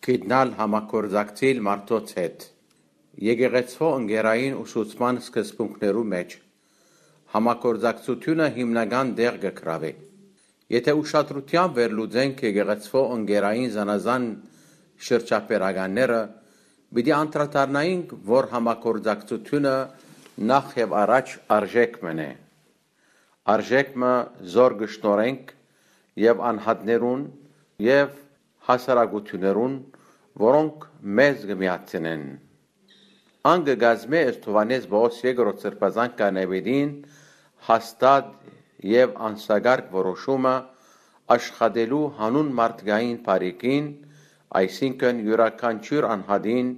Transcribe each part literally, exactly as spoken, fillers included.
գիտնալ համագործակցիլ մարդոց հետ։ Եկեղեցւոյ ընկերային ուսուցման սկզբունքներու մէջ համագործակցութիւնը հիմնական տեղ կը գրաւէ։ Եթէ ուշադրութեամբ վերլուծենք եկեղեցւոյ ընկերային զանազան շրջաբերականները, պիտի անդրադառնայինք, որ համագործակցութիւնը նախ եւ առաջ արժէք մըն է։ Արժէք մը զոր կը շնորհենք եւ անհատներուն եւ հասարակութիւններուն, որոնք մեզ կը միացնեն։ Ան կը կազմէ ըստ Յովհաննէս Պողոս երկրորդ սրբազան քահանայապետին հաստատ եւ անսակարկ որոշումը աշխատելու յանուն մարդկային բարիքին, այսինքն՝ իւրաքանչիւր անհատին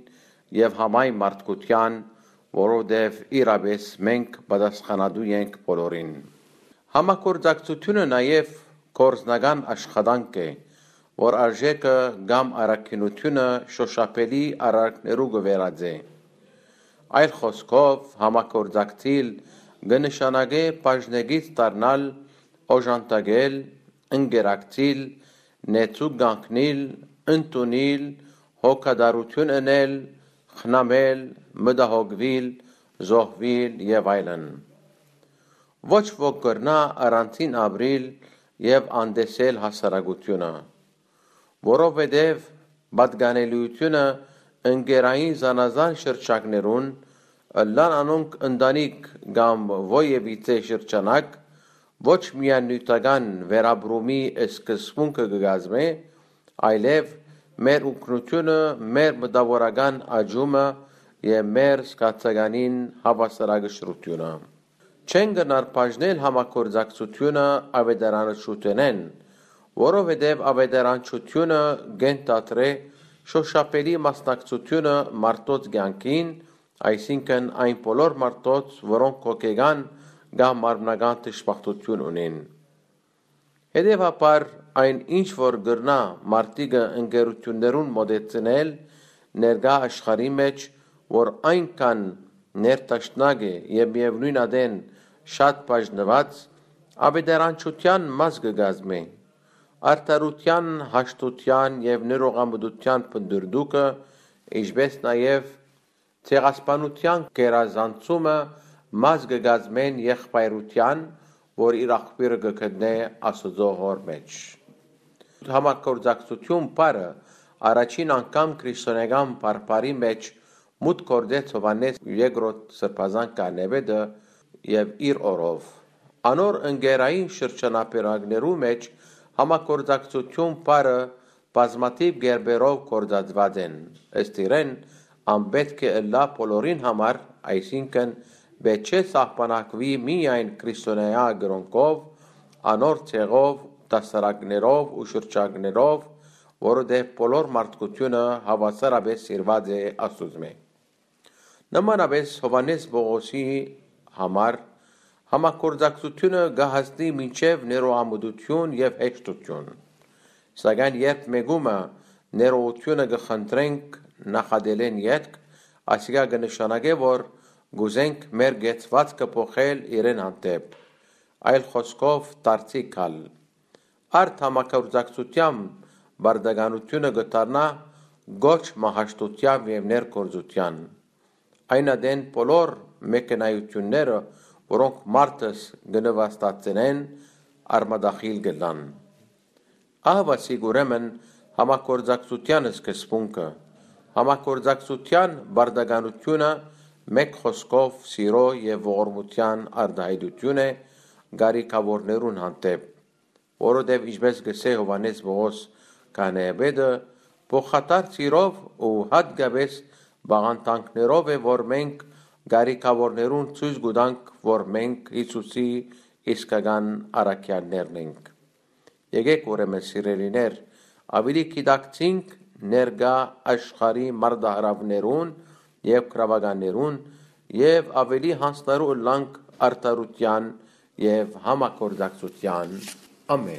եւ համայն մարդկութեան, որովհետեւ իրապէս մենք պատասխանատու ենք բոլորին։ Համագործակցութիւնը նաեւ գործնական աշխատանք է, որ արժէքը կամ առաքինութիւնը շոշափելի արարքներու կը վերածէ։ Այլ խօսքով, համագործակցիլ կը նշանակէ բաժնեկից դառնալ, օժանդակել, ընկերակցիլ, նեցուկ կանգնիլ, ընդունիլ, հոգատարութիւն ընել, խնամել, մտահոգուիլ, զոհուիլ եւ այլն։ Ոչ ոք կրնայ առանցին ապրիլ եւ անտեսել հասարակութիւնը, որովհետեւ պատկանելիութիւնը ընկերային զանազան շրջաններուն, ըլլան անոնք ընտանիք կամ ոյ եւ իծե շրջանակ, ոչ միայն նիւթական վերապրումի սկզբունքը կը կազմէ, այլեւ մեր օգնութիւնը, մեր մտաւորական աճումը եւ մեր զգացականին հաւասարակշռութիւնը։ Չեն կրնար բաժնել համագործակցութիւնը աւետարանչութենէն, որովհետեւ աւետարանչութիւնը կ'ենթադրէ շոշափելի մասնակցութիւնը մարդոց կեանքին, այսինքն՝ այն բոլոր մարդոց, որոնք հոգեկան կամ մարմնական դժբախտութիւն ունին։ Հետեւաբար, այն ինչ որ կրնայ մարդիկը ընկերութիւններուն մօտեցնել ներկայ աշխարհի մէջ, որ այնքան ներդաշնակ է եւ միեւնոյն ատեն շատ բաժնուած, աւետարանչութեան մաս կը կազմէ։ Արդարութեան, հաշտութեան եւ ներողամտութեան փնտռտուքը, ինչպէս նաեւ ցեղասպանութեան գերազանցումը մաս կը կազմեն եղբայրութեան, որ իր աղբիւրը կը գտնէ Աստուծոյ հօր մէջ։ Համագործակցութիւն բառը առաջին անգամ քրիստոնէական բարբառի մէջ մուտք գործեց Յովհաննէս երկրորդ սրբազան քահանայապետը եւ իր օրով։ Անոր ընկերային շրջանապերակներու մէջ համագործակցութիւն բառը բազմաթիւ կերպերով գործածուած են։ Ըստ իրեն, ան պէտք է ըլլայ բոլորին համար, այսինքն՝ պէտք չէ սահմանագուի միայն քրիստոնեայ կրօնքով, անոր ցեղով, դասարակներով ու շրջաններով, որովհետեւ բոլոր մարդկութիւնը հաւասարապէս սիրուած է Աստուծմէ։ Նմանապէս Յովհաննէս Պողոսի համար համագործակցութիւնը կը հասնի մինչեւ ներողամտութիւն եւ հեշտութիւն։ Սակայն երբ մէկումը ներողութիւնը կը խնդրենք նախատելէն ետք, ասիկա կը նշանակէ, որ կ'ուզենք մեր կեցուածքը փոխել իրեն հանդէպ, այլ խօսքով՝ դարձի գալ։ Արդ համագործակցութեան պարտականութիւնը կը դառնայ կոչ մը հաշտութեան եւ ներգործութեան։ Այն ատեն բոլոր մեկնայութիւնները, որոնք մարդս կը նուաստացնեն, արմատախիլ կ'ըլլան։ Ահա սիկ ուրեմն համագործակցութեան սկզբունքը։ Համագործակցութեան պարտականութիւնը, մէկ խօսքով, սիրոյ եւ ողորմութեան արտայայտութիւն է կարիքաւորներուն հանդէպ, որովհետեւ, ինչպէս կ'ըսէ Յովհաննէս Պողոս քահանայապետը, փոխադարձ սիրով ու յատկապէս պաղանտանքներով է, որ մենք կարիքաւորներուն ցոյց կու տանք, որ մենք Յիսուսի իսկական առաքեալներն ենք։ Եկէք ուրեմն, սիրելիներ, աւելի գիտակցինք ներկայ աշխարհի մարտահրաւներուն եւ գրաւականներուն եւ աւելի յանձնառու ըլլանք արդարութեան եւ համագործակցութեան։ Ամէն։